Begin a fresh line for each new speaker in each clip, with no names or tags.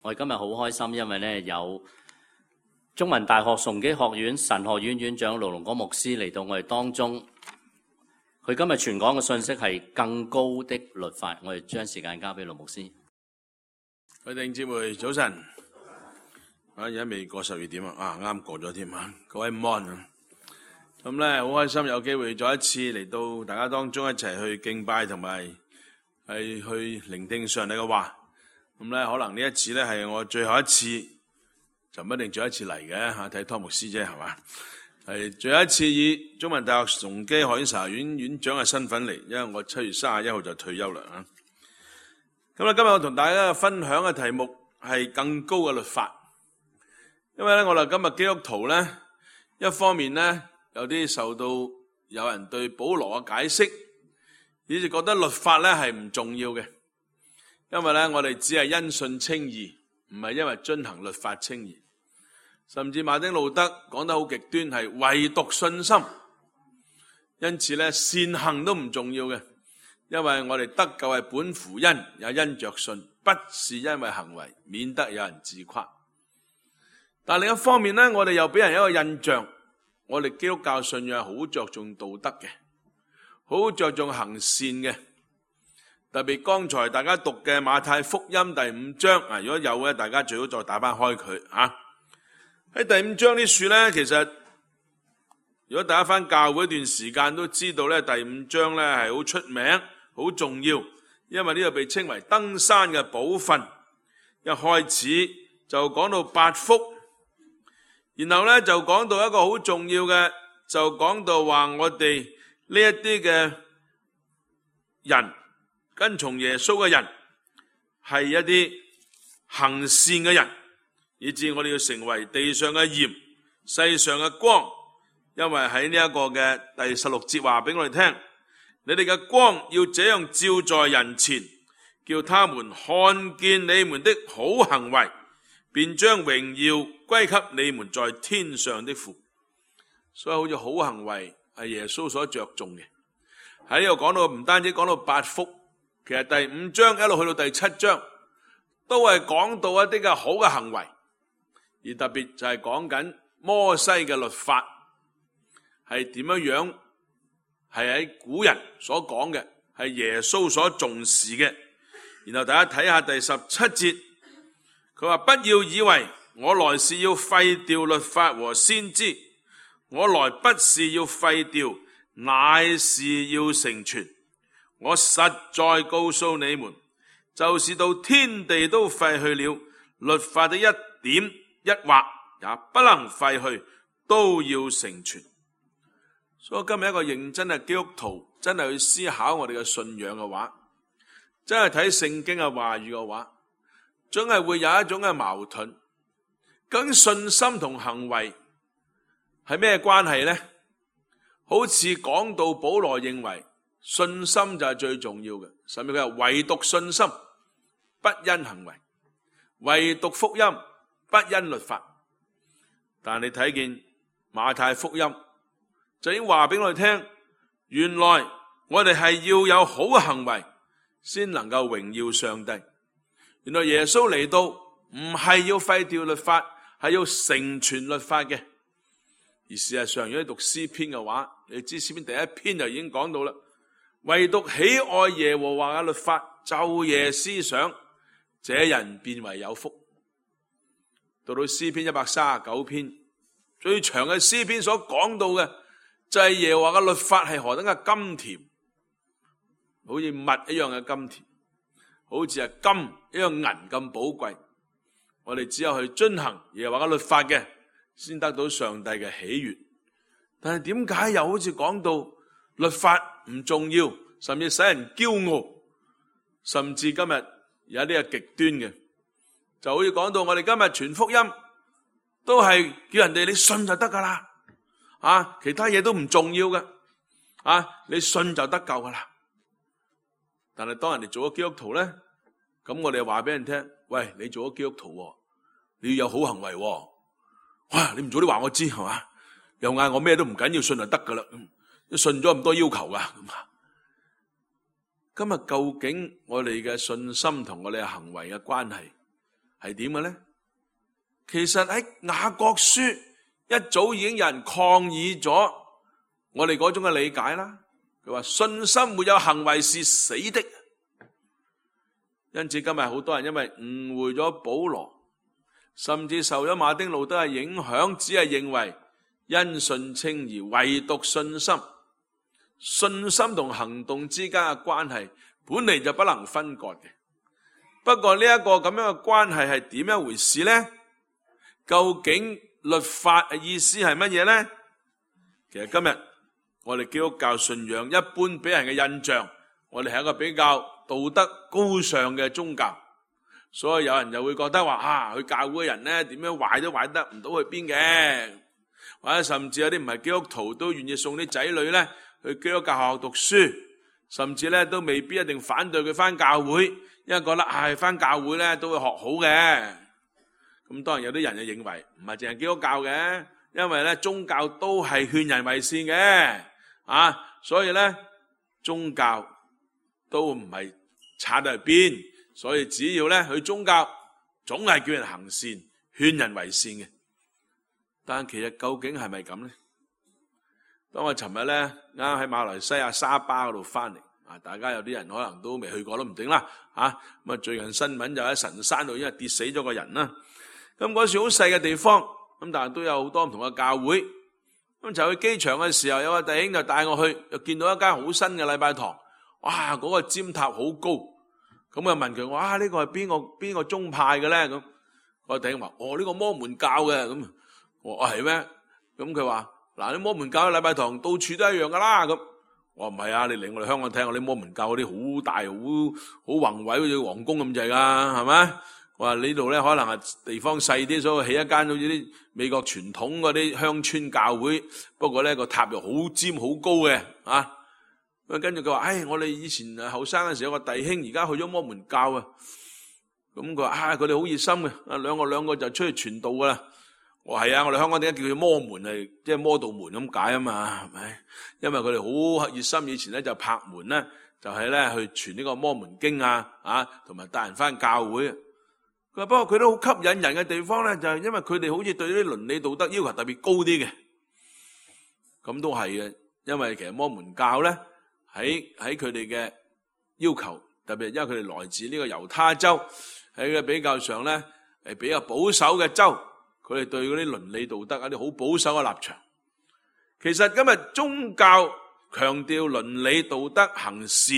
我哋今日好開心，因為咧有中文大學崇基學院神學院院長盧龍光牧師嚟到我哋當中。佢今日傳講嘅信息係更高的律法。我哋將時間交俾盧牧師。
各位弟兄姊妹早晨。而家未過12點啊，啱過咗添啊！各位午安啊。咁咧好開心有機會再一次嚟到大家當中一齊去敬拜同埋係去聆聽上帝嘅話。咁咧可能呢一次咧係我最後一次，就唔一定最後一次嚟嘅嚇，睇湯牧師啫係嘛？係最後一次以中文大學崇基學院神學院院長嘅身份嚟，因為我7月31號就退休啦啊。咁咧今日我同大家分享嘅題目係更高嘅律法。因為咧我哋今日基督徒咧，一方面咧有啲受到有人對保羅嘅解釋，以致覺得律法咧係唔重要嘅。因為咧我哋只係因信稱義，唔係因為遵行律法稱義。甚至馬丁路德講得好極端，係唯獨信心。因此咧善行都唔重要嘅，因為我哋得救係本乎恩，也因着信，不是因為行為，免得有人自誇。但另一方面咧，我哋又俾人一個印象，我哋基督教信仰好着重道德嘅，好着重行善嘅。特別剛才大家讀嘅馬太福音第5章啊，如果有咧，大家最好再打翻開佢啊。喺第5章啲書咧，其實如果大家翻教會一段時間都知道咧，第5章咧係好出名、好重要，因為呢個被稱為登山嘅寶訓。一開始就講到8福，然後咧就講到一個好重要嘅，就講到話我哋呢一啲嘅人，跟從耶穌嘅人係一啲行善嘅人，以致我哋要成為地上嘅鹽、世上嘅光。因為喺呢一個嘅第16節話俾我哋聽，你哋嘅光要這樣照在人前，叫他們看見你們的好行為，便將榮耀歸給你們在天上的父。所以好似好行為係耶穌所着重嘅。喺呢度講到唔單止講到8福，其實第5章一路去到第7章都係講到一啲嘅好嘅行為，而特別就係講緊摩西嘅律法係點樣，係喺古人所講嘅，係耶穌所重視嘅。然後大家睇下第17節，佢話不要以為我來是要廢掉律法和先知，我來不是要廢掉，乃是要成全。我實在告訴你們，就是到天地都廢去了，律法的一點一畫也不能廢去，都要成全。所以今日一個認真嘅基督徒，真係去思考我哋嘅信仰嘅話，真係睇聖經嘅話語嘅話，總係會有一種嘅矛盾。究竟信心同行為係咩關係呢？好似講到保羅認為信心就係最重要嘅，甚至佢話唯獨信心不因行為，唯獨福音不因律法。但你睇見馬太福音就已經話俾我哋聽，原來我哋係要有好嘅行為先能夠榮耀上帝。原來耶穌嚟到唔係要廢掉律法，係要成全律法嘅。而事實上如果你讀詩篇嘅話，你知詩篇第1篇就已經講到啦，唯獨喜愛耶和華嘅律法，晝夜思想，這人便為有福。到詩篇139篇最長嘅詩篇所講到嘅就係耶和華嘅律法係何等嘅甘甜，好似蜜一樣嘅甘甜，好似係金一樣銀咁寶貴。我哋只有去遵行耶和華嘅律法嘅，先得到上帝嘅喜悅。但係點解又好似講到律法唔重要，甚至使人驕傲，甚至今日有啲係極端嘅，就好似講到我哋今日傳福音都係叫人哋你信就得噶啦，其他嘢都唔重要嘅，你信就得救噶啦。但係當人哋做咗基督徒咧，咁我哋話俾人聽，喂，你做咗基督徒，你要有好行為，哇，你唔早啲話我知係嘛？又嗌我咩都唔緊要，信就得噶啦，信咗咁多要求噶。今日究竟我哋嘅信心同我哋嘅行為嘅關係係點嘅呢？其實喺雅各書一早已經有人抗議咗我哋嗰種嘅理解啦。佢話信心沒有行為是死的，因此今日好多人因為誤會咗保羅，甚至受咗馬丁路德嘅影響，只係認為因信稱義，唯獨信心。信心同行動之間嘅關係本嚟就不能分割嘅。不過呢一個咁樣嘅關係係點一回事呢？究竟律法嘅意思係乜嘢呢？其實今日我哋基督教信仰一般俾人嘅印象，我哋係一個比較道德高尚嘅宗教，所以有人就會覺得話去教會嘅人呢，點樣壞都壞得唔到去邊嘅，或者甚至有啲唔係基督徒都願意送啲仔女呢去基督教學校讀書，甚至呢都未必一定反對佢返教會，因為覺得返教會呢都會學好嘅。咁當然有啲人就認為唔係淨係基督教嘅，因為呢宗教都係勸人為善嘅，所以呢宗教都唔係差得去邊，所以只要呢去宗教總係叫人行善，勸人為善嘅。但其實究竟係咪咁呢？當我尋日呢啱喺馬來西亞沙巴嗰度翻嚟，大家有啲人可能都未去過都唔定啦，咁最近新聞就喺神山度因為跌死咗個人啦。咁嗰時好細嘅地方，咁但係都有好多唔同嘅教會。咁就去機場嘅時候，有個弟兄就帶我去，又見到一間好新嘅禮拜堂。哇！嗰個尖塔好高。咁啊問佢：哇！呢個係邊個宗派嘅咧？咁個弟兄話：呢個摩門教嘅。咁我話係咩？咁佢話：嗱，啲摩門教嘅禮拜堂到處都一樣噶啦。咁我話唔係啊，你嚟我哋香港睇下啲摩門教嗰啲好大好宏偉，好似皇宮咁滯噶，係咪？我話呢度咧可能係地方細啲，所以起一間好似啲美國傳統嗰啲鄉村教會，不過咧個塔又好尖好高嘅。跟住佢話：我哋以前後生嘅時候有個弟兄，而家去咗摩門教啊。咁佢話：佢哋好熱心嘅，兩個就出去傳道噶啦。我話係啊，我哋香港點解叫佢摩門，係即係摩道門咁解啊嘛，係咪？因為佢哋好熱心，以前咧就拍門咧，就係咧去傳呢個摩門經同埋帶人翻教會。佢話不過佢都好吸引人嘅地方咧，就係因為佢哋好似對啲倫理道德要求特別高啲嘅。咁都係嘅，因為其實摩門教咧喺佢哋嘅要求，特別因為佢哋來自呢個猶他州，喺個比較上咧係比較保守嘅州，佢哋對嗰啲倫理道德一啲好保守嘅立場。其實今日宗教強調倫理道德行善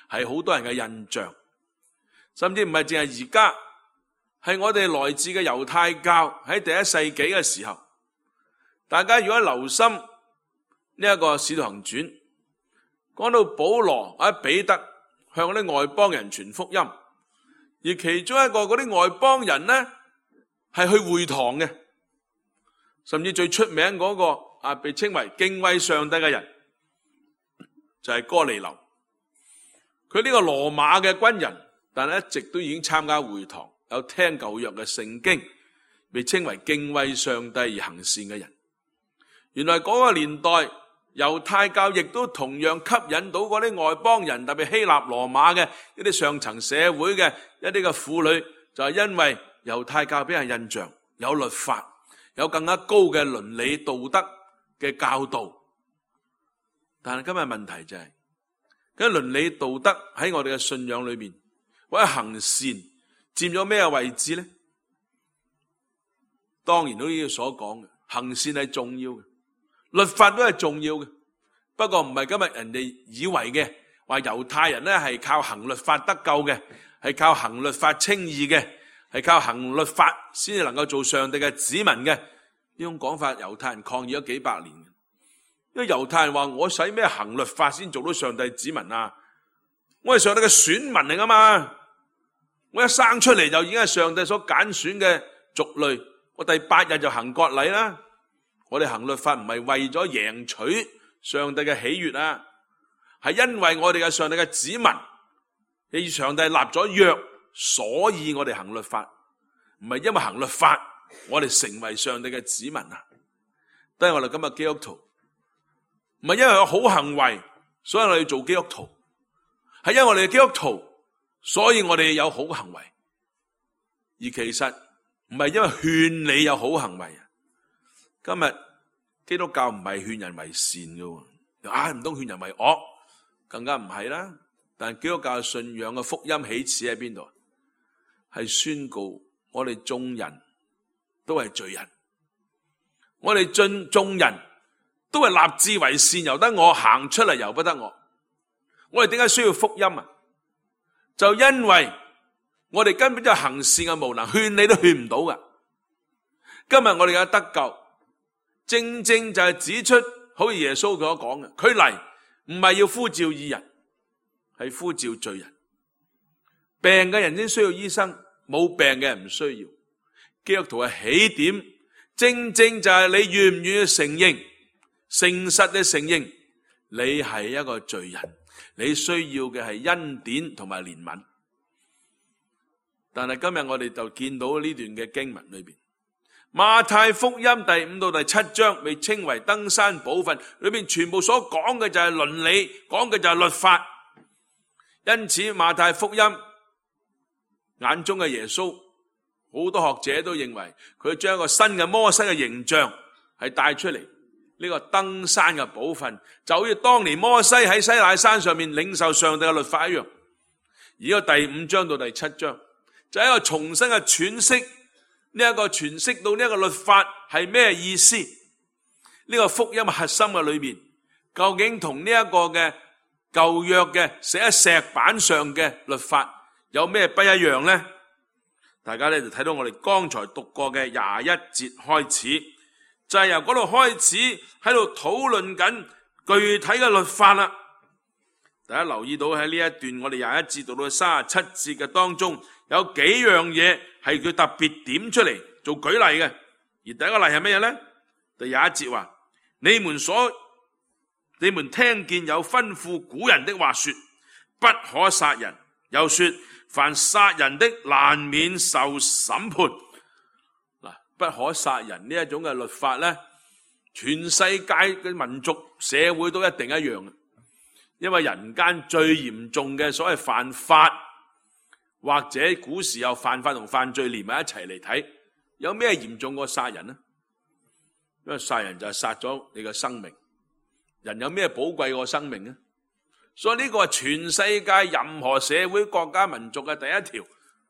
係好多人嘅印象，甚至唔係淨係而家。係我哋來自嘅猶太教喺第一世紀嘅時候，大家如果留心呢一個使徒行傳，講到保羅或者彼得向嗰啲外邦人傳福音，而其中一個嗰啲外邦人呢係去會堂嘅，甚至最出名嗰個被稱為敬畏上帝嘅人就係哥尼流。佢呢個羅馬嘅軍人，但係一直都已經參加會堂，有聽舊約嘅聖經，被稱為敬畏上帝而行善嘅人。原來嗰個年代猶太教亦都同樣吸引到嗰啲外邦人，特別希臘羅馬嘅一啲上層社會嘅一啲嘅婦女，就係因為猶太教俾人印象有律法，有更加高嘅倫理道德嘅教導。但係今日問題就係，咁倫理道德喺我哋嘅信仰裏面或者行善佔咗咩位置呢？當然都呢個所講嘅行善係重要嘅，律法都係重要嘅。不過唔係今日人哋以為嘅話猶太人咧係靠行律法得救嘅，係靠行律法稱義嘅，係靠行律法先至能夠做上帝嘅子民嘅。呢種講法猶太人抗議咗幾百年，因為猶太人話我使咩行律法先做到上帝子民啊？我係上帝嘅選民嚟噶嘛，我一生出嚟就已經係上帝所揀選嘅族類，我第8日就行割禮啦。我哋行律法唔係為咗贏取上帝嘅喜悅啊，係因為我哋係上帝嘅子民，與上帝立咗約，所以我哋行律法，唔係因為行律法我哋成為上帝嘅子民啊。都係我哋今日基督徒，唔係因為有好行為所以我哋要做基督徒，係因為我哋係基督徒所以我哋有好行為。而其實唔係因為勸你有好行為。今日基督教唔係勸人為善嘅，唔通勸人為惡，更加唔係啦。但基督教信仰嘅福音起始喺邊度？係宣告我哋眾人都係罪人，我哋眾人都係立志為善，由得我行出嚟，由不得我。我哋點解需要福音啊？就因為我哋根本就行善嘅無能，勸你都勸唔到噶。今日我哋嘅得救，正正就係指出，好似耶穌所講嘅，佢嚟唔係要呼召義人，係呼召罪人。病嘅人先需要醫生，冇病嘅人唔需要。基督徒嘅起點，正正就係你願唔願意承認，誠實地承認你係一個罪人，你需要嘅係恩典同埋憐憫。但係今日我哋就見到呢段嘅經文裏邊，馬太福音第5到第7章被稱為登山寶訓，裏邊全部所講嘅就係倫理，講嘅就係律法。因此馬太福音眼中嘅耶穌，好多學者都認為佢將一個新嘅摩西嘅形象係帶出嚟。呢個登山嘅寶訓就好似當年摩西喺西乃山上面領受上帝嘅律法一樣。而個第5章到第7章就係一個重新嘅詮釋，呢一個詮釋到呢一個律法係咩意思？呢個福音核心嘅裏面，究竟同呢一個嘅舊約嘅寫喺石板上嘅律法有咩不一樣呢？大家咧就睇到我哋剛才讀過嘅21節開始，就係由嗰度開始喺度討論緊具體嘅律法啦。大家留意到喺呢一段我哋21節到到37節嘅當中，有幾樣嘢係佢特別點出嚟做舉例嘅。而第一個例係乜嘢呢？第21節話：你們聽見有吩咐古人的話說，不可殺人，又說凡殺人的難免受審判。嗱，不可殺人呢一種嘅律法呢，全世界嘅民族社會都一定一樣嘅，因為人間最嚴重嘅所謂犯法，或者古時有犯法同犯罪連埋一齊嚟睇，有咩嚴重過殺人呢？因為殺人就係殺咗你嘅生命，人有咩寶貴過生命呢？所以呢個係全世界任何社會國家民族嘅第一條，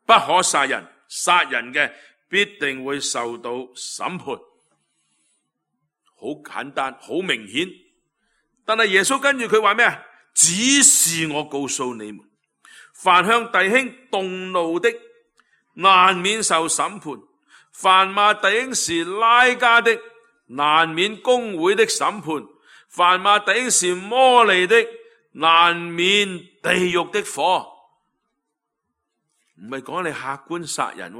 不可殺人，殺人嘅必定會受到審判。好簡單，好明顯。但係耶穌跟住佢話咩啊？只是我告訴你們，凡向弟兄動怒的，難免受審判；凡罵弟兄是拉加的，難免公會的審判；凡罵弟兄是魔利的，難免地獄的火。唔係講你客觀殺人，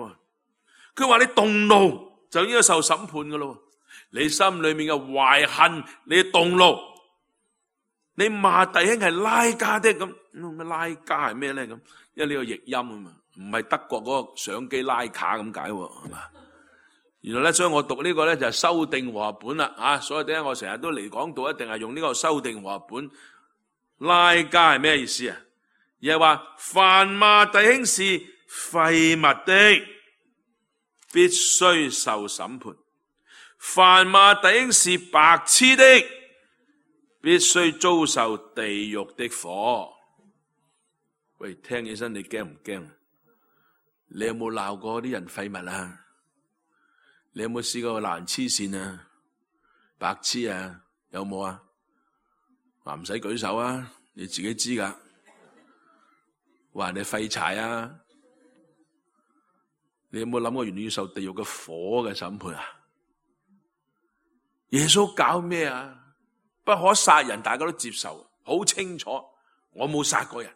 佢話你動怒就應該受審判噶咯。你心裏面嘅懷恨，你動怒，你罵弟兄係拉加的咁，咩拉加係咩咧咁？因為呢個譯音啊嘛，唔係德國嗰個相機拉卡咁解係嘛？原來咧，所以我讀呢個咧就係修訂和合本啦啊！所以點解我成日都嚟講到一定係用呢個修訂和合本。拉加係咩意思啊？而係話凡罵弟兄是廢物的，必須受審判；凡罵弟兄是白痴的，必須遭受地獄的火。喂，聽起身你驚唔驚？你有冇鬧過啲人廢物啊？你有冇試過鬧人黐線啊、白痴啊？有冇啊？話唔使舉手啊，你自己知噶。話人哋廢柴啊，你有冇諗過原來要受地獄嘅火嘅審判啊？耶穌搞咩啊？不可殺人，大家都接受，好清楚。我冇殺過人，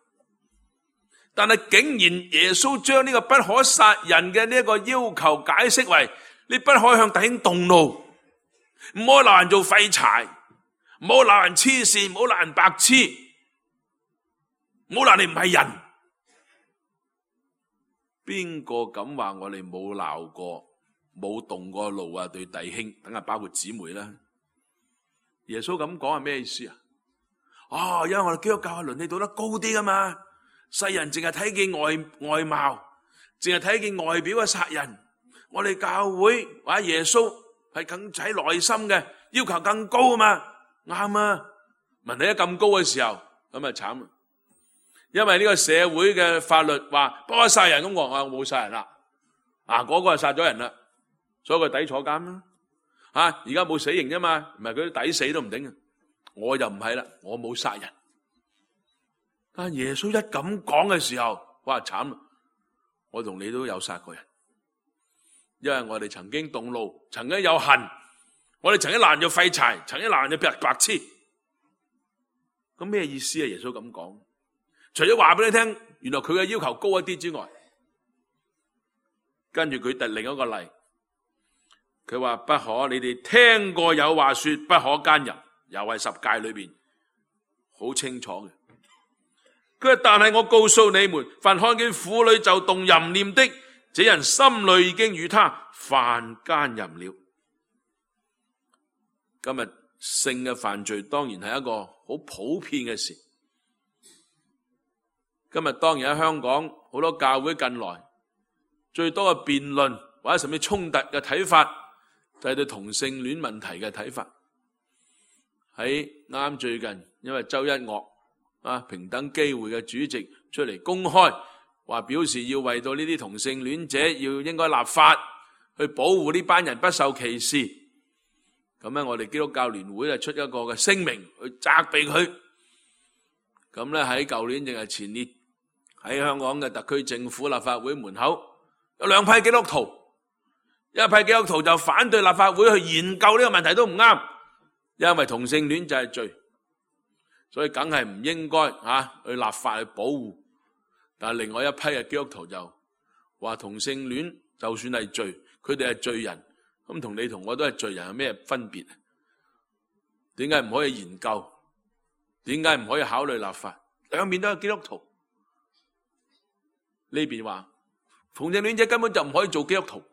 但係竟然耶穌將呢個不可殺人嘅呢一個要求解釋為你不可以向弟兄動怒，唔好鬧人做廢柴，唔好鬧人黐線，唔好鬧人白痴，唔好鬧你唔係人。邊個敢話我哋冇鬧過、冇動過怒啊？對弟兄，等下包括姊妹啦。耶穌咁講係咩意思啊？因為我哋基督教嘅倫理道德高啲噶嘛，世人淨係睇見外貌，淨係睇見外表嘅殺人。我哋教會或者耶穌係更喺內心嘅要求更高啊嘛，啱啊！問題一咁高嘅時候，咁啊慘，因為呢個社會嘅法律話不可殺人，咁我冇殺人啦，嗰個係殺咗人啦，所以佢抵坐監啦。而家冇死刑啫嘛，唔係佢抵死都唔頂。我就唔係啦，我冇殺人。但耶穌一咁講嘅時候，哇慘啦！我同你都有殺過人。因為我哋曾經動怒，曾經有恨，我哋曾經攔咗廢柴，曾經攔咗白痴。咁咩意思啊？耶穌咁講，除咗話俾你聽，原來佢嘅要求高一啲之外，跟住佢第另一個例，佢話不可，你哋聽過有話說不可奸淫，又係十誡裏邊好清楚嘅。佢話但係我告訴你們，凡看見婦女就動淫念的，這人心裏已經與他犯奸淫了。今日性嘅犯罪當然係一個好普遍嘅事。今日當然喺香港好多教會近來最多嘅辯論或者甚至衝突嘅睇法，就係對同性戀問題嘅睇法。喺啱最近，因為周一嶽平等機會嘅主席出嚟公開話表示要為到呢啲同性戀者要應該立法去保護呢班人不受歧視。咁咧，我哋基督教聯會就出一個嘅聲明去責備佢。咁咧喺舊年定係前年喺香港嘅特區政府立法會門口有兩批基督徒，一批基督徒就反對立法會去研究呢個問題都唔啱，因為同性戀就係罪，所以梗係唔應該去立法去保護。但係另外一批嘅基督徒就話同性戀就算係罪，佢哋係罪人，咁同你同我都係罪人有咩分別？點解唔可以研究？點解唔可以考慮立法？兩邊都係基督徒。呢邊話同性戀者根本就唔可以做基督徒，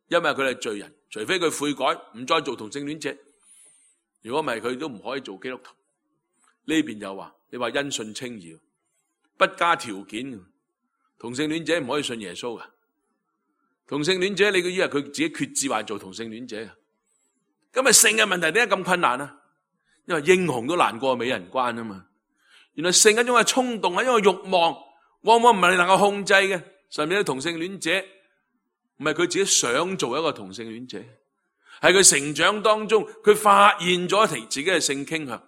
因為佢哋係罪人，除非佢悔改唔再做同性戀者。如果唔係，佢都唔可以做基督徒。呢邊又話你話因信稱義，不加條件，同性戀者唔可以信耶穌噶。同性戀者，你以為佢自己決志話做同性戀者啊？咁啊，性嘅問題點解咁困難啊？因為英雄都難過美人關啊嘛。原來性一種係衝動，係一種慾望，往往唔係你能夠控制嘅。甚至啲同性戀者唔係佢自己想做一個同性戀者，係佢成長當中佢發現咗自己嘅性傾向。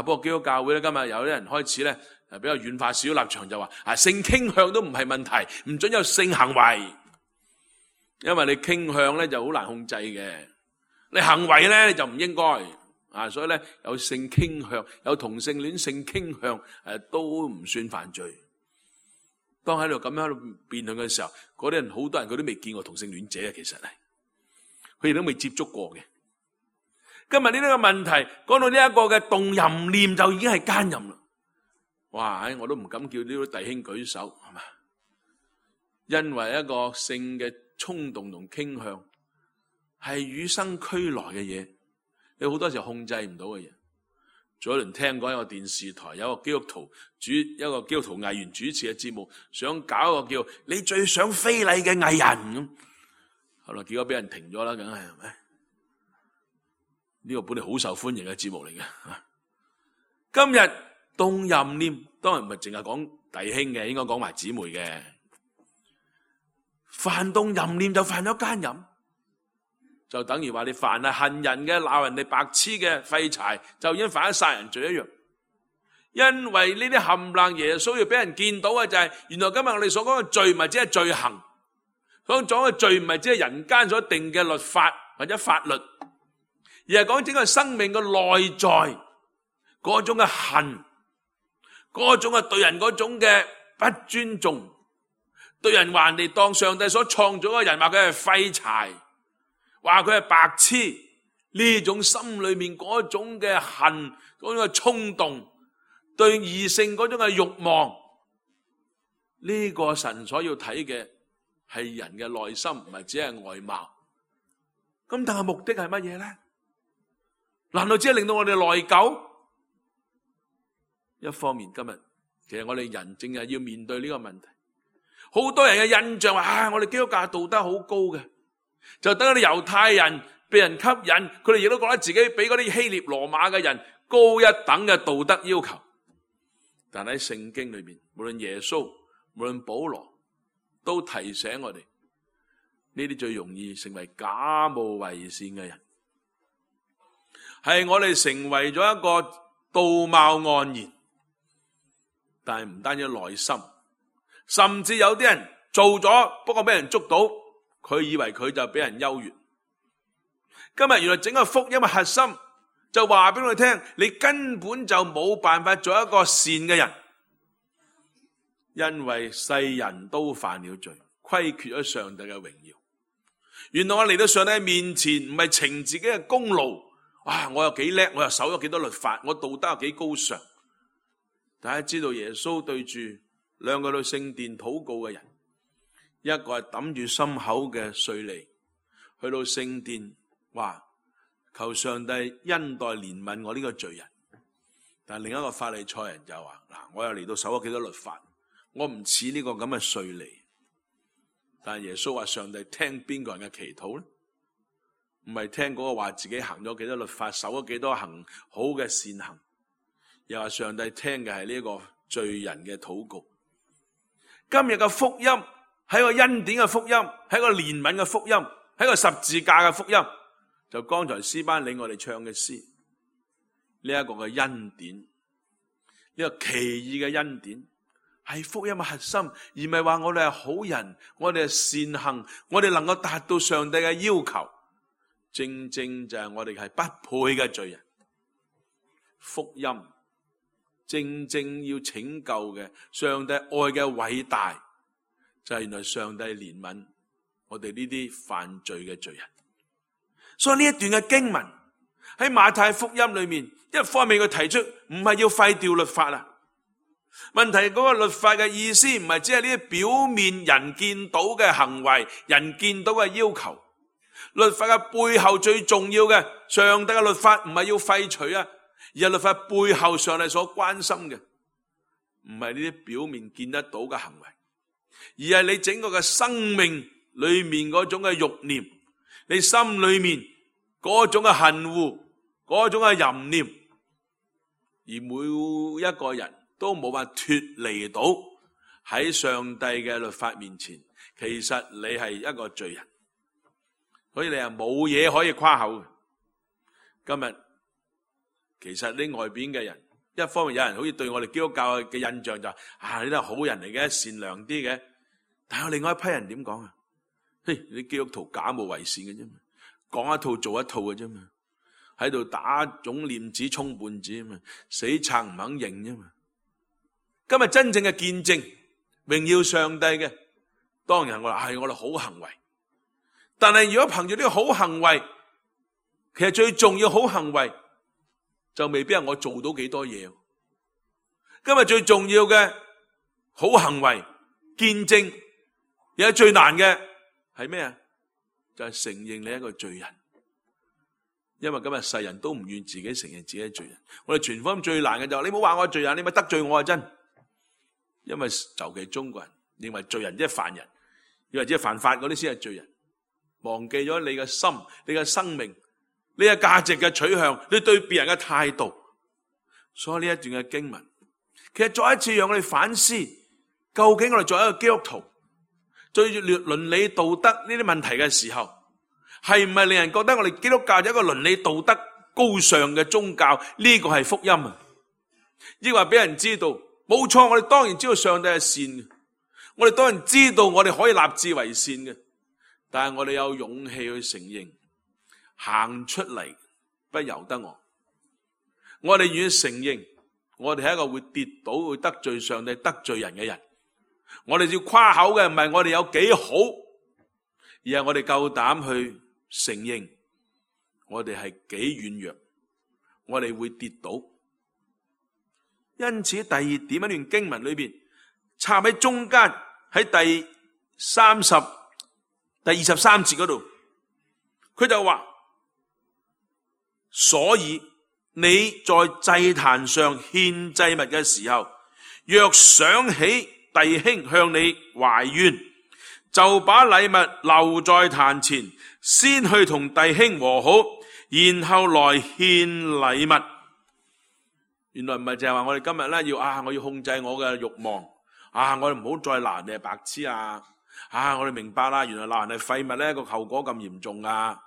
不過基督教會咧，今日有啲人開始咧比較軟化少立場，就話性傾向都唔係問題，唔准有性行為，因為你傾向咧就好難控制嘅，你行為咧你就唔應該所以咧有性傾向，有同性戀性傾向都唔算犯罪。當喺度咁樣喺度辯論嘅時候，嗰啲人好多人佢都未見過同性戀者，其實係佢哋都未接觸過嘅。今日呢個問題講到呢一個嘅動淫念就已經係奸淫啦。哇！我都唔敢叫呢啲弟兄舉手，係嘛？因為一個性嘅衝動同傾向係與生俱來嘅嘢，你好多時候控制唔到嘅嘢。早一輪聽過一個電視台有一個基督徒一個基督徒藝員主持嘅節目，想搞一個叫你最想非禮嘅藝人咁，後來結果俾人停咗啦，梗係咪？呢個本嚟好受歡迎嘅節目嚟嘅。今日動淫念當然唔係淨係講弟兄嘅，應該講埋姊妹嘅。犯動淫念就犯咗奸淫，就等於話你凡係恨人嘅、鬧人哋白痴嘅、廢柴，就已經犯咗殺人罪一樣。因為呢啲冚唪耶穌要俾人見到嘅就係，原來今日我哋所講嘅罪唔係只係罪行，所講嘅罪唔係只係人間所定嘅律法或者法律，而係講整個生命嘅內在嗰種嘅恨，嗰種嘅對人嗰種嘅不尊重，對人話人哋當上帝所創造嘅人話佢係廢柴，話佢係白痴，呢種心裏面嗰種嘅恨，嗰種嘅衝動，對異性嗰種嘅慾望，呢個神所要睇嘅係人嘅內心，唔係只係外貌。咁但係目的係乜嘢咧？難道只係令到我哋內疚？一方面今日其實我哋人正係要面對呢個問題，好多人嘅印象話，我哋基督教道德好高嘅，就等嗰啲猶太人被人吸引，佢哋亦都覺得自己比嗰啲希臘羅馬嘅人高一等嘅道德要求。但喺聖經裏面，無論耶穌，無論保羅，都提醒我哋，呢啲最容易成為假冒為善嘅人，係我哋成為咗一個道貌岸然，但係唔單止內心，甚至有啲人做咗，不過俾人捉到，佢以為佢就俾人優越。今日原來整個福音嘅核心就話俾我哋聽，你根本就冇辦法做一個善嘅人，因為世人都犯了罪，虧缺咗上帝嘅榮耀。原來我嚟到上帝面前，唔係逞自己嘅功勞，哇！我又幾叻，我又守咗幾多律法，我道德又幾高尚。大家知道耶穌對住兩個去聖殿禱告嘅人，一個係揼住心口嘅稅吏，去到聖殿話求上帝恩待憐憫我呢個罪人。但另一個法利賽人就話，嗱，我又嚟到守咗幾多律法，我唔似呢個咁嘅稅吏。但耶穌話上帝聽邊個人嘅祈禱呢？唔係聽嗰個話自己行咗幾多律法，守咗幾多行好嘅善行，又話上帝聽嘅係呢個罪人嘅禱告。今日嘅福音係個恩典嘅福音，係個憐憫嘅福音，係個十字架嘅福音。就剛才詩班領我哋唱嘅詩，呢一個嘅恩典，呢個奇異嘅恩典，係福音嘅核心，而唔係話我哋係好人，我哋係善行，我哋能夠達到上帝嘅要求。正正就係我哋係不配嘅罪人。福音正正要拯救嘅，上帝愛嘅偉大，就係原來上帝憐憫我哋呢啲犯罪嘅罪人。所以呢一段嘅經文喺馬太福音裏面，一方面佢提出唔係要廢掉律法啊。問題嗰個律法嘅意思唔係只係呢啲表面人見到嘅行為，人見到嘅要求。律法嘅背後最重要嘅，上帝嘅律法唔係要廢除啊，而係律法背後上帝所關心嘅，唔係呢啲表面見得到嘅行為，而係你整個嘅生命裏面嗰種嘅慾念，你心裏面嗰種嘅恨惡，嗰種嘅淫念，而每一個人都冇辦法脫離到喺上帝嘅律法面前，其實你係一個罪人，所以你係冇嘢可以誇口嘅。今日其實呢外邊嘅人，一方面有人好似對我哋基督教嘅印象就你都係好人嚟嘅，善良啲嘅，但係有另外一批人點講啊？嘿，你基督徒假冒為善嘅啫嘛，講一套做一套嘅啫嘛，喺度打腫臉子充胖子啊嘛，死撐唔肯認啫嘛。今日真正嘅見證榮耀上帝嘅，當然我話係我哋好行為。但係如果憑住呢個好行為，其實最重要好行為就未必係我做到幾多嘢。今日最重要嘅好行為見證，而家最難嘅係咩啊？就係承認你係一個罪人。因為今日世人都唔願自己承認自己係罪人。我哋傳福音最難嘅就係你唔好話我係罪人，你咪得罪我啊！真。因為尤其中國人認為罪人即係犯人，以為即係犯法嗰啲先係罪人，忘記咗你嘅心、你嘅生命、你嘅價值嘅取向、你對別人嘅態度。所以呢一段嘅經文，其實再一次讓我哋反思，究竟我哋作為一個基督徒，對住倫理道德呢啲問題嘅時候，係唔係令人覺得我哋基督教有一個倫理道德高尚嘅宗教？呢個係福音啊！亦話俾人知道，冇錯，我哋當然知道上帝係善嘅，我哋當然知道我哋可以立志為善嘅，但係我哋有勇氣去承認，行出嚟不由得我哋願意承認，我哋係一個會跌倒、會得罪上帝、得罪人嘅人。我哋要誇口嘅唔係我哋有幾好，而係我哋夠膽去承認我哋係幾軟弱，我哋會跌倒。因此第二點一段經文裏邊插喺中間，喺第23節嗰度，佢就話：所以你在祭壇上獻祭物嘅時候，若想起弟兄向你懷怨，就把禮物留在壇前，先去同弟兄和好，然後來獻禮物。原來唔係淨係話我哋今日咧我要控制我嘅慾望，我哋唔好再鬧人哋係白痴啊！我哋明白啦，原來鬧人係廢物咧個後果咁嚴重啊！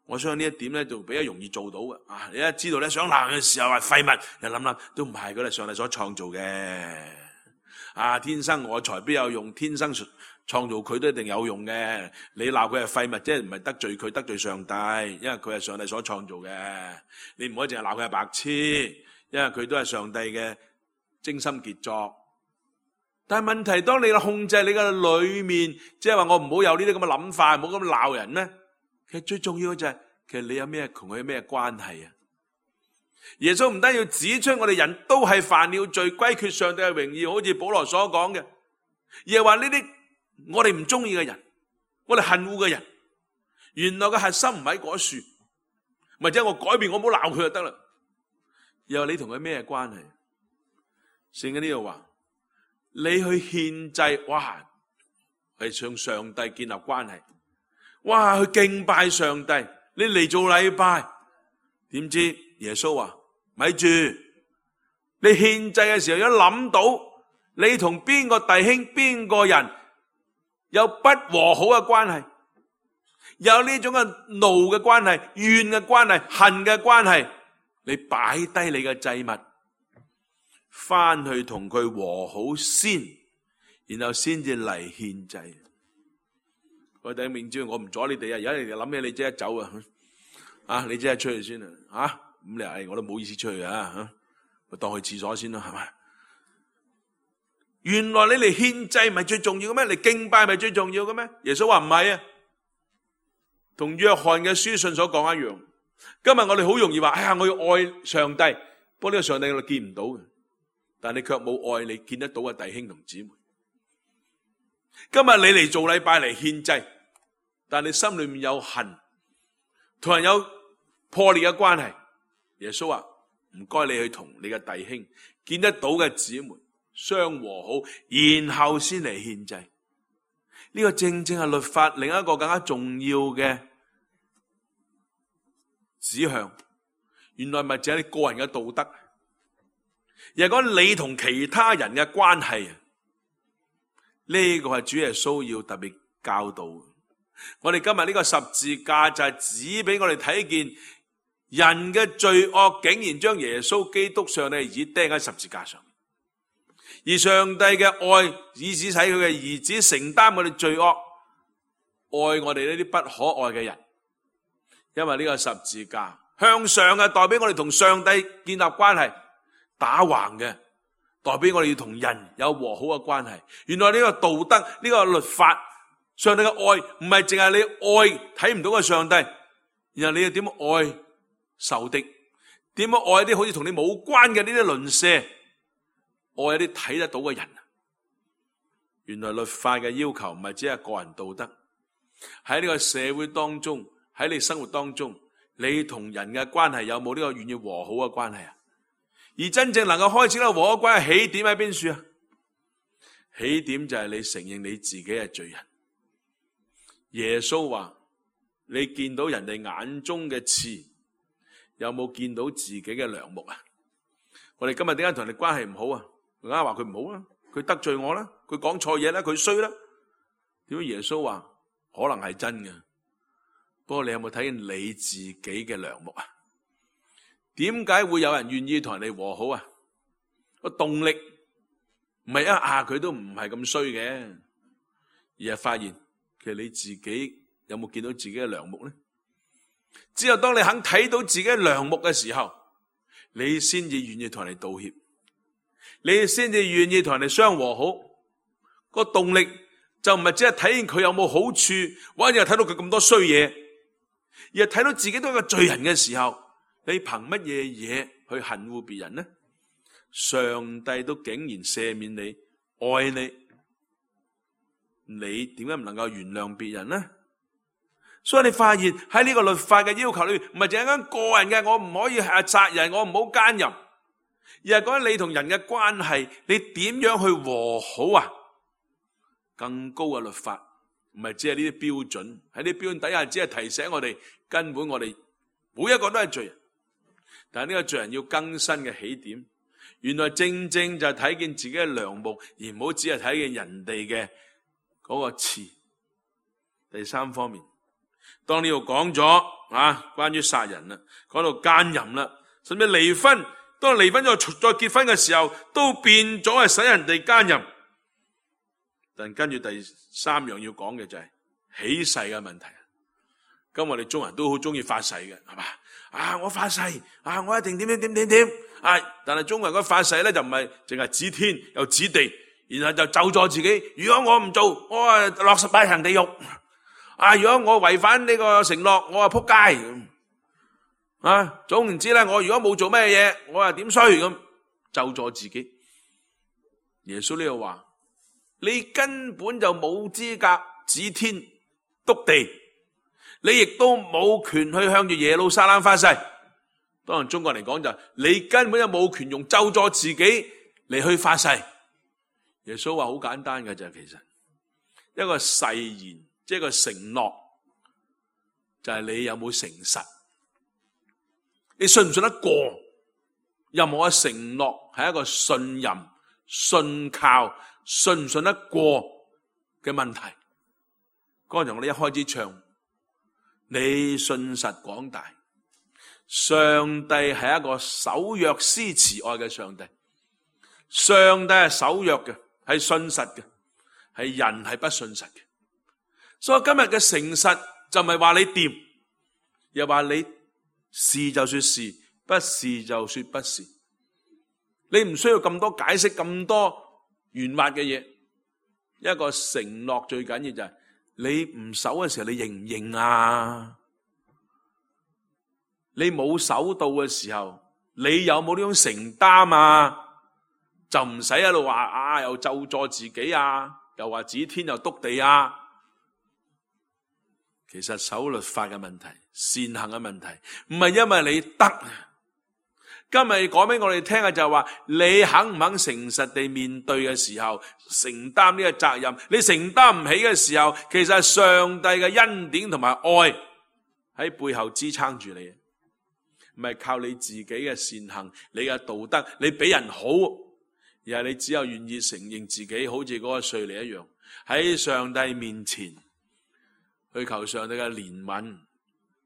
我相信呢一點咧就比較容易做到嘅。你一知道咧想鬧人嘅時候係廢物，又諗都唔係，佢係上帝所創造嘅。天生我材必有用，天生創造佢都一定有用嘅。你鬧佢係廢物，即係唔係得罪佢，得罪上帝，因為佢係上帝所創造嘅。你唔可以淨係鬧佢係白痴，因為佢都係上帝嘅精心傑作。但係問題，當你控制你嘅裏面，即係話我唔好有呢啲咁嘅諗法，唔好咁鬧人咧。其實最重要嘅就係，其實你有咩同佢有咩關係啊？耶穌唔單要指出我哋人都係犯了罪，歸缺上帝嘅榮耀，好似保羅所講嘅，而係話呢啲我哋唔中意嘅人，我哋恨惡嘅人，原來嘅核心唔喺嗰處，或者我改變，我唔好鬧佢就得啦。又話你同佢咩關係？聖經呢度話，你去獻祭，係向上帝建立關係，去敬拜上帝，你嚟做禮拜，點知耶穌話咪住，你獻祭嘅時候一諗到你同邊個弟兄邊個人有不和好嘅關係，有呢種嘅怒嘅關係、怨嘅關係、恨嘅關係，你擺低你嘅祭物，翻去同佢和好先，然後先至嚟獻祭。我哋明知我唔阻你哋啊，而家你哋諗起你即刻走啊！你即刻出去先啊！咁你我都冇意思出去我當去廁所先啦，係咪？原來你嚟獻祭唔係最重要嘅咩？嚟敬拜咪最重要嘅咩？耶穌話唔係啊，同約翰嘅書信所講一樣。今日我哋好容易話，我要愛上帝，不過呢個上帝我哋見唔到嘅，但你卻冇愛你見得到嘅弟兄同姊妹。今日你嚟做禮拜嚟獻祭，但你心裏面有恨，同人有破裂嘅關係。耶穌話唔該你去同你嘅弟兄見得到嘅姊妹相和好，然後先嚟獻祭。呢個正正係律法另一個更加重要嘅指向。原來唔係淨係你個人嘅道德，而係講你同其他人嘅關係。呢個係主耶穌要特別教導。我哋今日呢個十字架就係指俾我哋睇見人嘅罪惡竟然將耶穌基督上帝嘅兒子釘喺十字架上，而上帝嘅愛以致使佢嘅兒子承擔我哋罪惡，愛我哋呢啲不可愛嘅人。因為呢個十字架向上嘅代表我哋同上帝建立關係，打橫嘅代表我哋要同人有和好嘅關係。原來呢個道德，呢個律法，上帝嘅愛唔係淨係你愛睇唔到嘅上帝，然後你要點愛仇敵，點樣愛啲好似同你冇關嘅呢啲鄰舍，愛一啲睇得到嘅人。原來律法嘅要求唔係只係個人道德，喺呢個社會當中，喺你生活當中，你同人嘅關係有冇呢個願意和好嘅關係啊？而真正能夠開始呢個和好關係起點喺邊處啊？起點就係你承認你自己係罪人。耶穌話：你見到人哋眼中嘅刺，有冇見到自己嘅梁木啊？我哋今日點解同人哋關係唔好啊？梗係話佢唔好啦，佢得罪我啦，佢講錯嘢啦，佢衰啦。點解耶穌話可能係真嘅？不過你有冇睇見你自己嘅梁木啊？點解會有人願意同人哋和好啊？個動力唔係佢都唔係咁衰嘅，而係發現其實你自己有冇見到自己嘅梁木呢？只有當你肯睇到自己嘅梁木嘅時候，你先至願意同人哋道歉，你先至願意同人哋相和好。個動力就唔係只係睇見佢有冇好處，或者係睇到佢咁多衰嘢，而係睇到自己都係個罪人嘅時候，你憑乜嘢嘢去恨惡別人呢？上帝都竟然赦免你、愛你，你點解唔能夠原諒別人呢？所以你發現喺呢個律法嘅要求裏面，唔係淨係講個人嘅，我唔可以殺人，我唔好奸淫，而係講緊你同人嘅關係，你點樣去和好啊？更高嘅律法，唔係只係呢啲標準，喺呢啲標準底下，只係提醒我哋，根本我哋每一個都係罪人。但係呢個罪人要更新嘅起點，原來正正就係睇見自己嘅梁木，而唔好只係睇見人哋嘅嗰個刺。第三方面，當呢度講咗關於殺人啦，講到奸淫啦，甚至離婚，當離婚再結婚嘅時候，都變咗係使人哋奸淫。但跟住第三樣要講嘅就係起誓嘅問題。咁我哋中人都好中意發誓嘅，係嘛？我發誓我一定點。但係中國人嗰發誓咧就唔係淨係指天又指地，然後就咒詛自己。如果我唔做，我落18層地獄。如果我違反呢個承諾，我仆街。總言之咧，我如果冇做咩嘢，我點衰咁咒詛自己。耶穌呢度話：你根本就冇資格指天篤地，你亦都冇權去向住耶路撒冷發誓。當然中國人嚟講就你根本就冇權用咒詛自己嚟去發誓。耶穌話好簡單嘅就係，其實一個誓言，即係一個承諾，就係你有冇誠實，你信唔信得過？任何嘅承諾係一個信任、信靠、信唔信得過嘅問題。剛才我哋一開始唱，你信實廣大，上帝係一個守約施慈愛嘅上帝。上帝係守約嘅，係信實嘅，係人係不信實嘅。所以今日嘅誠實就唔係話你掂，又話你是就說是，不是就說不是。你唔需要咁多解釋，咁多圓滑嘅嘢。一個承諾最緊要就係你唔守嘅時候，你認唔認啊？你冇守到嘅時候，你有冇呢種承擔啊？就唔使喺度話又咒詛自己又話指天又篤地啊。其實守律法嘅問題，善行嘅問題，唔係因為你得。今日講俾我哋聽嘅就係話，你肯唔肯誠實地面對嘅時候，承擔呢個責任。你承擔唔起嘅時候，其實係上帝嘅恩典同埋愛喺背後支撐住你，唔係靠你自己嘅善行、你嘅道德、你比人好，而係你只有願意承認自己好似嗰個稅吏一樣，喺上帝面前去求上帝嘅憐憫、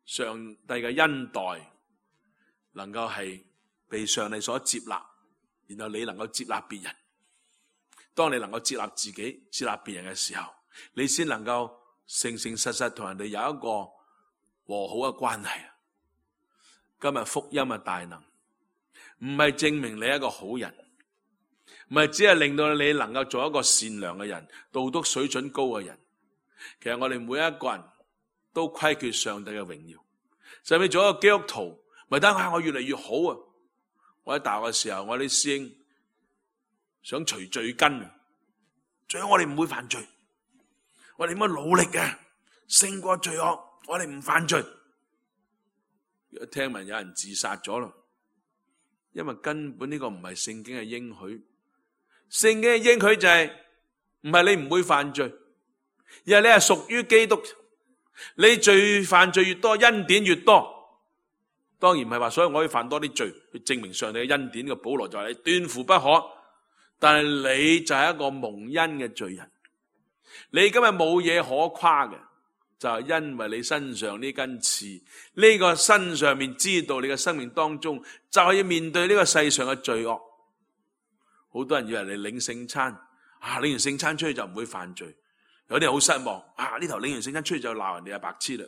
上帝嘅恩待，能夠係被上帝所接納，然後你能夠接納別人。當你能夠接納自己、接納別人嘅時候，你先能夠誠誠實實同人哋有一個和好嘅關係。今日福音嘅大能，唔係證明你係一個好人，唔係只係令到你能夠做一個善良嘅人、道德水準高嘅人。其實我哋每一個人都虧缺上帝嘅榮耀。甚至做一個基督徒，咪等下我越嚟越好啊！我喺大學嘅時候，我啲師兄想除罪根，最好我哋唔會犯罪，我哋點樣努力嘅勝過罪惡，我哋唔犯罪。聽聞有人自殺咗咯，因為根本呢個唔係聖經嘅應許。聖經嘅應許就係唔係你唔會犯罪，而係你係屬於基督。你罪犯罪越多，恩典越多。當然唔係話所以我可以犯多啲罪去證明上帝嘅恩典嘅。保羅就係你斷乎不可，但係你就係一個蒙恩嘅罪人。你今日冇嘢可誇嘅，就係因為你身上呢根刺，呢個身上面知道你嘅生命當中就係要面對呢個世上嘅罪惡。好多人以為你領聖餐領完聖餐出去就唔會犯罪，有啲人好失望呢頭領完聖餐出去就鬧人哋係白痴啦。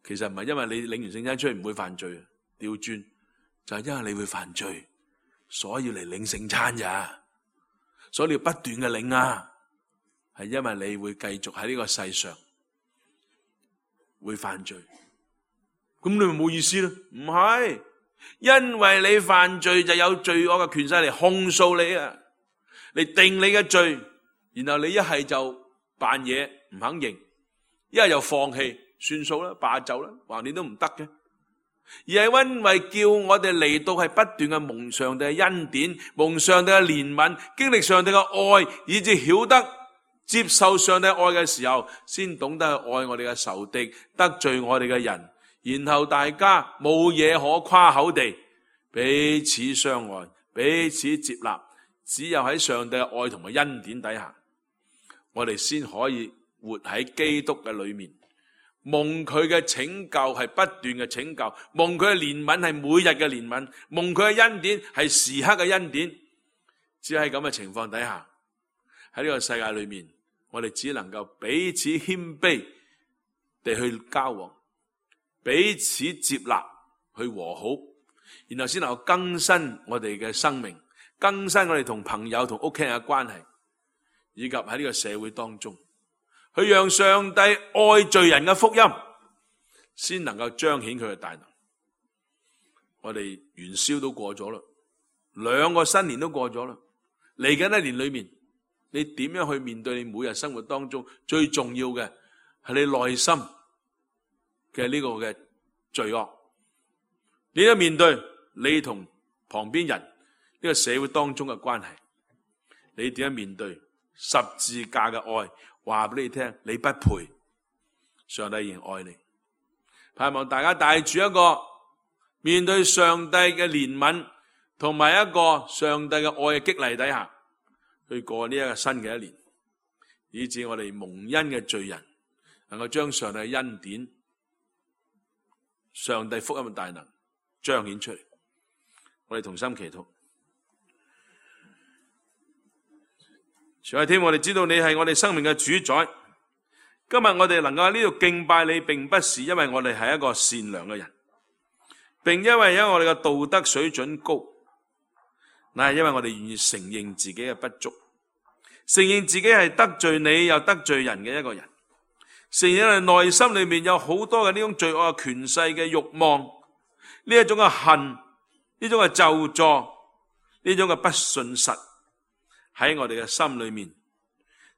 其實唔係因為你領完聖餐出去唔會犯罪，調轉就係因為你會犯罪，所以要嚟領聖餐咋，所以你要不斷嘅領係因為你會繼續喺呢個世上會犯罪，咁你咪冇意思咯？唔係，因為你犯罪就有罪惡嘅權勢嚟控訴你嚟定你嘅罪，然後你一係就扮嘢唔肯認，一係就放棄算數啦，罷就啦，橫掂都唔得嘅。而係因為叫我哋嚟到係不斷嘅蒙上帝嘅恩典，蒙上帝嘅憐憫，經歷上帝嘅愛，以致曉得接受上帝愛嘅時候，先懂得去愛我哋嘅仇敵，得罪我哋嘅人，然後大家冇嘢可誇口地彼此相愛，彼此接納。只有喺上帝嘅愛同埋恩典底下，我哋先可以活喺基督嘅裏面，蒙佢嘅拯救係不斷嘅拯救，蒙佢嘅憐憫係每日嘅憐憫，蒙佢嘅恩典係時刻嘅恩典。只喺咁嘅情況底下，喺呢個世界裏面，我哋只能夠彼此謙卑地去交往，彼此接納去和好，然後先能夠更新我哋嘅生命，更新我哋同朋友同屋企人嘅關係，以及喺呢個社會當中去讓上帝愛罪人嘅福音先能夠彰顯佢嘅大能。我哋元宵都過咗啦，2個新年都過咗啦，嚟緊一年裏面，你點樣去面對你每日生活當中最重要嘅係你內心嘅呢個嘅罪惡？你點樣面對你同旁邊人呢個社會當中嘅關係？你點樣面對十字架嘅愛？話俾你聽，你不配，上帝仍然愛你。盼望大家帶住一個面對上帝嘅憐憫同埋一個上帝嘅愛嘅激勵底下去過呢一個新嘅一年，以致我哋蒙恩嘅罪人能夠將上帝嘅恩典、上帝福音嘅大能彰顯出嚟。我哋同心祈禱。主啊，天父，我哋知道你係我哋生命嘅主宰。今日我哋能夠喺呢度敬拜你，並不是因為我哋係一個善良嘅人，並因為我哋嘅道德水準高，乃係因為我哋願意承認自己嘅不足，承認自己係得罪你又得罪人嘅一個人，承認我哋內心裏面有好多嘅呢種罪惡嘅權勢嘅慾望，呢一種嘅恨，呢種嘅咒詛，呢種嘅不信實喺我哋嘅心裏面，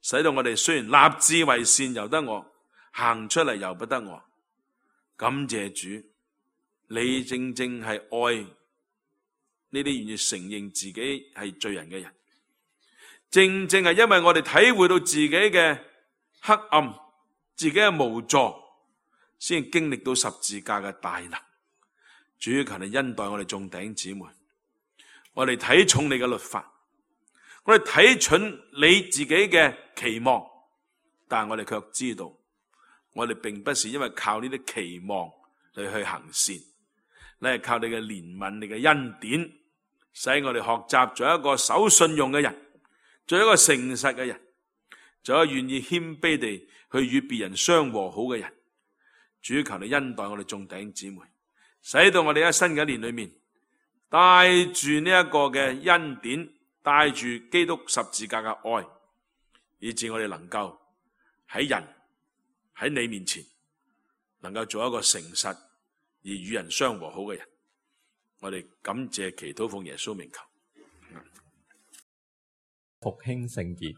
使到我哋雖然立志為善由得我，行出嚟由不得我。感謝主，你正正係愛呢啲願意承認自己係罪人嘅人，正正係因為我哋體會到自己嘅黑暗，自己嘅無助，先經歷到十字架嘅大能。主，求你恩待我哋眾弟兄姊妹，我哋睇重你嘅律法，我哋睇準你自己嘅期望，但係我哋卻知道，我哋並不是因為靠呢啲期望嚟去行善，你係靠你嘅憐憫、你嘅恩典，使我哋學習做一個守信用嘅人，做一個誠實嘅人，做一個願意謙卑地去與別人相和好嘅人。主，求你恩待我哋眾弟兄姊妹，使到我哋喺新嘅一年裏面，帶住呢一個嘅恩典，帶住基督十字架嘅愛，以致我哋能夠喺人喺你面前，能夠做一個誠實而與人相和好嘅人。我哋感謝祈禱奉耶穌名求。
復興聖潔。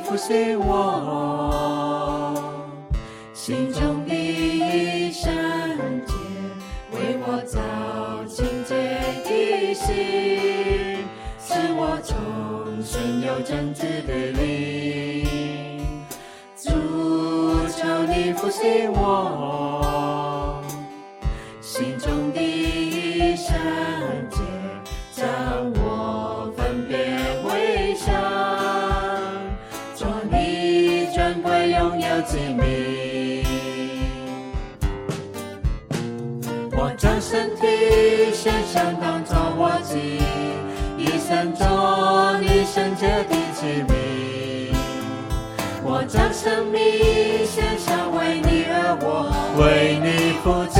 扶持我心中的聖潔，為我造清潔的心，使我重新有正直的靈。主，求你扶持我心中的聖潔，將我分別為聖，榮耀之名，我將身體獻上當作活祭，以聖作你聖潔的器皿。我將生命獻上，為你而活，為你服祭。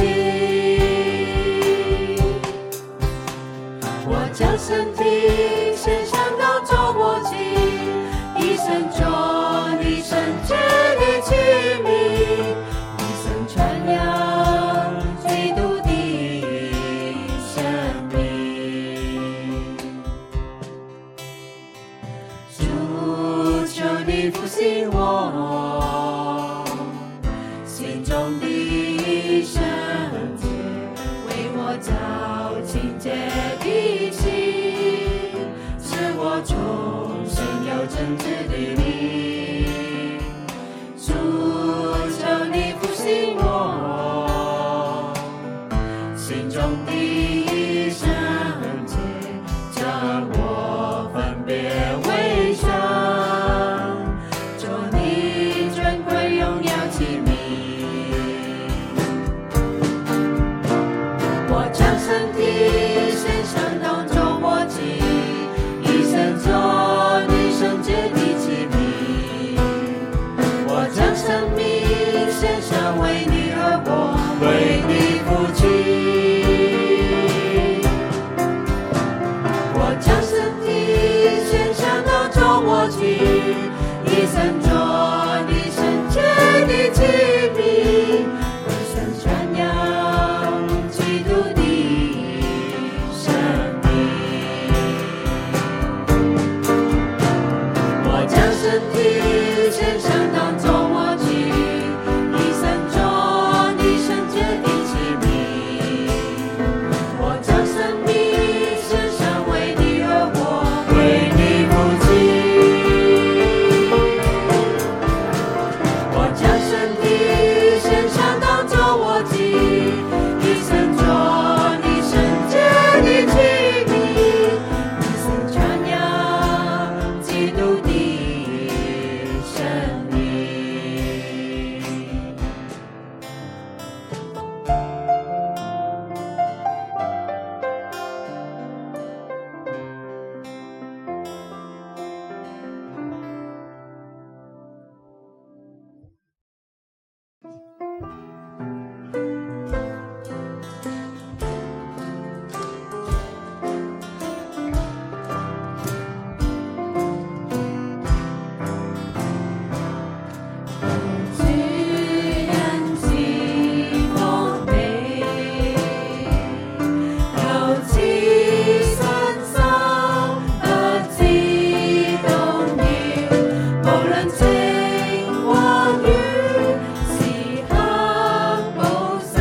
我將身體獻上當作活祭，以聖作你聖潔的器皿。你復興我，心中的聖潔，為我照清潔的心，使我重生有真摯的你。主，求你復興我，心中的聖潔，將我分別為聖，做你尊貴榮耀器皿。我將身體獻上當作活祭，一生做你聖潔的器皿。我將生命獻上，為你而活，為你付出。我將身體獻上當作活祭，一生做你聖潔的器皿，為神傳揚基督的生命。我將身體獻上當作活祭，一生做你聖潔的器皿。我將生命獻上，為你而活，為你付出。我將身體獻上當作活祭，一生做你聖潔的器皿，一生傳揚基督的生命。主人是我哋，求賜信心不知動搖，無論晴或雨，時刻保守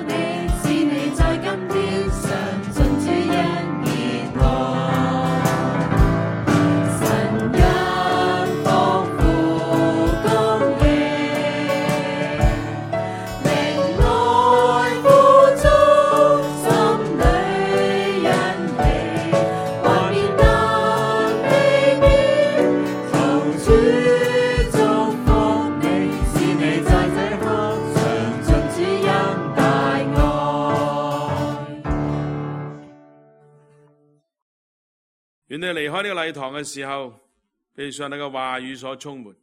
你，使你在今天上進主恩熱愛。神因豐富供應，靈愛富足，心裏欣喜，幻變得美妙。求主祝福你，使你在這刻嘗盡主恩大愛。
願你離開呢個禮堂嘅時候，被上帝嘅話語所充滿。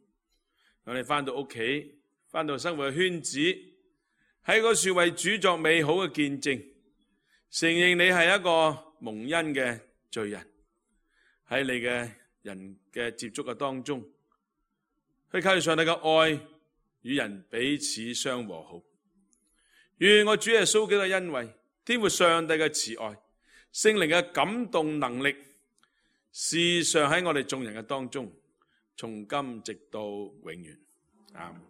讓你翻到屋企，翻到生活嘅圈子，喺嗰處為主作美好嘅見證，承認你係一個蒙恩嘅罪人。喺你嘅人嘅接觸嘅當中，去靠住上帝嘅愛，與人彼此相和好。願我主耶穌基督嘅恩惠，天父上帝嘅慈愛，聖靈嘅感動能力，時常喺我哋眾人嘅當中，從今直到永遠。阿們。